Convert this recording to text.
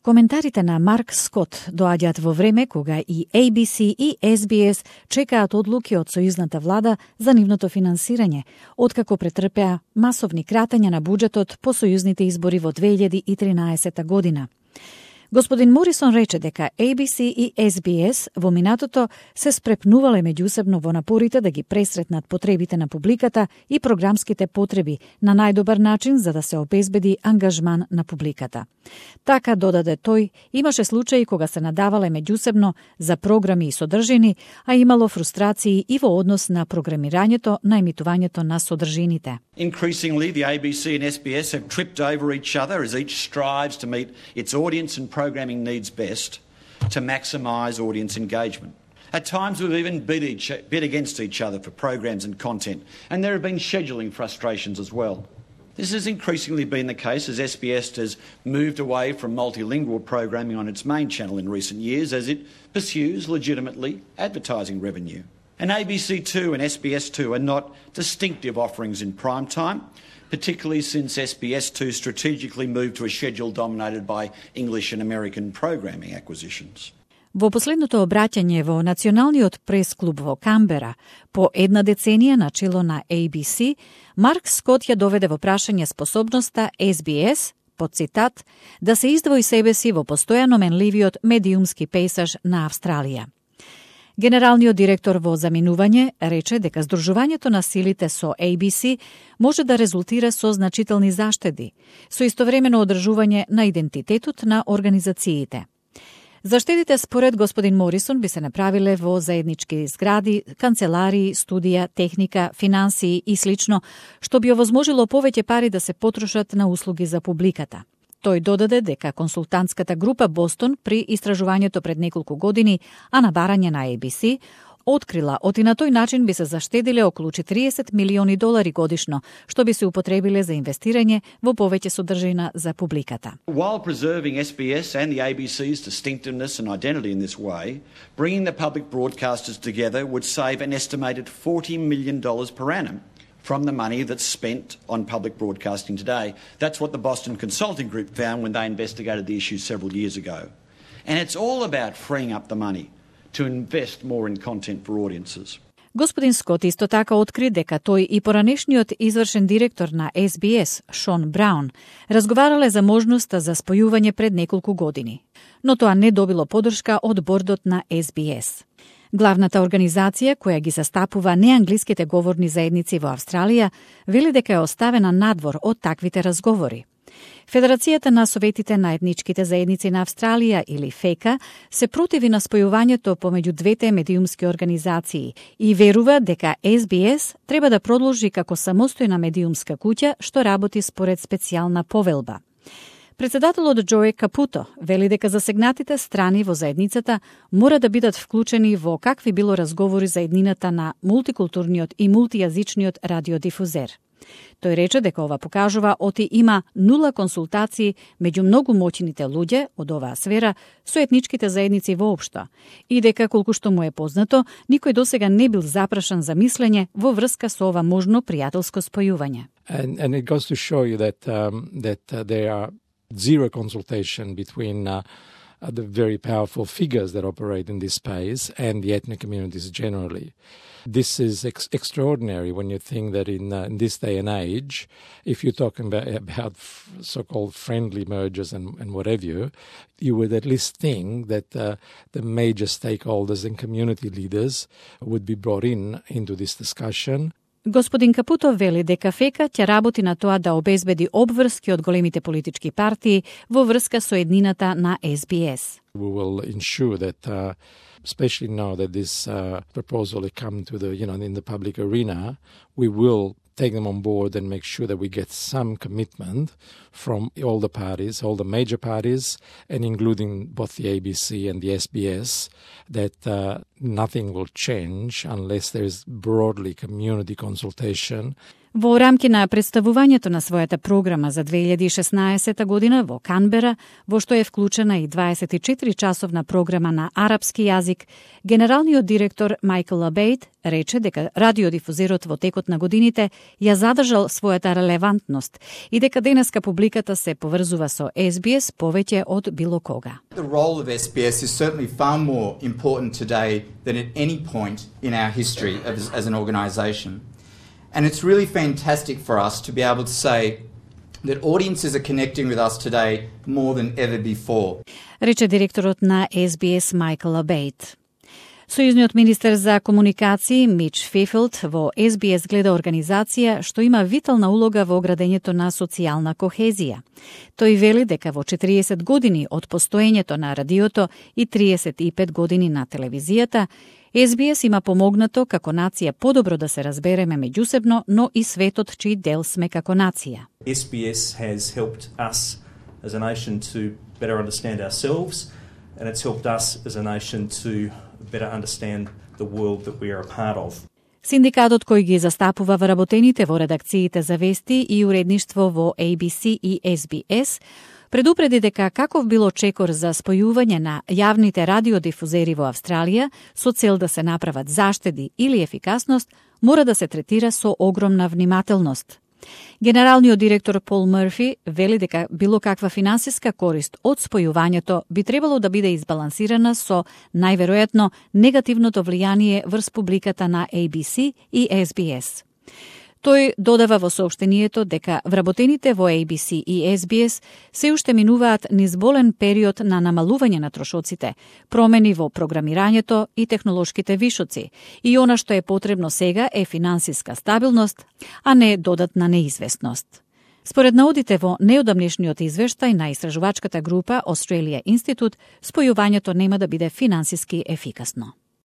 Коментарите на Марк Скот доаѓаат во време кога и ABC и SBS чекаат одлуки од сојузната влада за нивното финансирање, откако претрпеа масовни кратења на буџетот по сојузните избори во 2013 година. Господин Морисон рече дека ABC и SBS во минатото се спрепнувале меѓусебно во напорите да ги пресретнат потребите на публиката и програмските потреби на најдобар начин за да се обезбеди ангажман на публиката. Така, додаде тој, имаше случаи кога се надавале меѓусебно за програми и содржини, а имало фрустрации и во однос на програмирањето на емитувањето на содржините. Increasingly, the ABC and SBS have tripped over each other as each strives to meet its audience and programming needs best to maximise audience engagement. At times we've even bid against each other for programs and content, and there have been scheduling frustrations as well. This has increasingly been the case as SBS has moved away from multilingual programming on its main channel in recent years as it pursues legitimately advertising revenue. And ABC2 and SBS2 are not distinctive offerings in prime time, particularly since SBS2 strategically moved to a schedule dominated by English and American programming acquisitions. Во последното обраќање во Националниот прес-клуб во Камбера, по една деценија на чело на ABC, Марк Скот ја доведе во прашање способноста SBS, по цитат, да се издвои себе си во постојано менливиот медиумски пейсаж на Австралија. Генералниот директор во заминување рече дека здружувањето на силите со ABC може да резултира со значителни заштеди, со истовремено одржување на идентитетот на организациите. Заштедите според господин Морисон би се направиле во заеднички згради, канцеларии, студија, техника, финансии и слично, што би овозможило повеќе пари да се потрошат на услуги за публиката. Тој додаде дека консултантската група Бостон при истражувањето пред неколку години, а на барање на ABC, открила оти на тој начин би се заштедиле околу $40 милиони годишно, што би се употребиле за инвестирање во повеќе содржина за публиката. While preserving SBS and the ABC's distinctiveness and identity in this way, bringing the public broadcasters together would save an estimated $40 million per annum from the money that's spent on public broadcasting today. That's what the Boston Consulting Group found when they investigated the issue several years ago. And it's all about freeing up the money to invest more in content for audiences. Господин Скот исто така откри дека тој и поранешниот извршен директор на SBS, Шон Браун, разговарале за можноста за спојување пред неколку години. Но тоа не добило поддршка од бордот на SBS. Главната организација, која ги застапува неанглиските говорни заедници во Австралија, вели дека е оставена надвор од таквите разговори. Федерацијата на советите на етничките заедници на Австралија, или ФЕКА, се противи на спојувањето помеѓу двете медиумски организации и верува дека SBS треба да продолжи како самостојна медиумска куќа што работи според специјална повелба. Председателот Джој Капуто вели дека засегнатите страни во заедницата мора да бидат вклучени во какви било разговори за еднината на мултикултурниот и мултијазичниот радиодифузер. Тој рече дека ова покажува оти има нула консултации меѓу многу моќните луѓе од оваа сфера со етничките заедници воопшто и дека, колку што му е познато, никој досега не бил запрашан за мислење во врска со ова можно пријателско спојување. And it goes to show you that there are zero consultation between the very powerful figures that operate in this space and the ethnic communities generally. This is extraordinary when you think that in this day and age, if you're talking about so-called friendly mergers and what have you, you would at least think that the major stakeholders and community leaders would be brought into this discussion. Господин Капуто вели дека ФЕКА ќе работи на тоа да обезбеди обврски од големите политички партии во врска со еднината на SBS. We will ensure that, especially now that this proposal has come to in the public arena, we will take them on board and make sure that we get some commitment from all the parties, all the major parties, and including both the ABC and the SBS, that nothing will change unless there is broadly community consultation. Во рамки на представувањето на својата програма за 2016 година во Канбера, во што е вклучена и 24-часовна програма на арапски јазик, генералниот директор Майкл Абейт рече дека радиодифузерот во текот на годините ја задржал својата релевантност и дека денеска публиката се поврзува со SBS повеќе од било кога. The role of SBS is certainly far more important today than at any point in our history as an organisation. And it's really fantastic for us to be able to say that audiences are connecting with us today more than ever before. Рече директорот на SBS Майкл Абейт. Сојузниот министер за комуникации Мич Фефилд во SBS гледа организација што има витална улога во градењето на социјална кохезија. Тој вели дека во 40 години од постоењето на радиото и 35 години на телевизијата, SBS има помогнато како нација подобро да се разбереме меѓусебно, но и светот чиј дел сме како нација. SBS has helped us as a nation to better understand ourselves, and it's helped us as a nation to better understand the world that we are a part of. Синдикатот кој ги застапува вработените во редакциите за вести и уредништво во ABC и SBS предупреди дека каков било чекор за спојување на јавните радиодифузери во Австралија со цел да се направат заштеди или ефикасност, мора да се третира со огромна внимателност. Генералниот директор Пол Мърфи вели дека било каква финансиска корист од спојувањето би требало да биде избалансирана со најверојатно негативното влијание врз публиката на ABC и SBS. Тој додава во соопштението дека вработените во ABC и SBS се уште минуваат низ болен период на намалување на трошоците, промени во програмирањето и технолошките вишоци, и она што е потребно сега е финансиска стабилност, а не додатна неизвестност. Според наудите во неодамнешниот извештај на истражувачката група Australia Institute, спојувањето нема да биде финансиски ефикасно.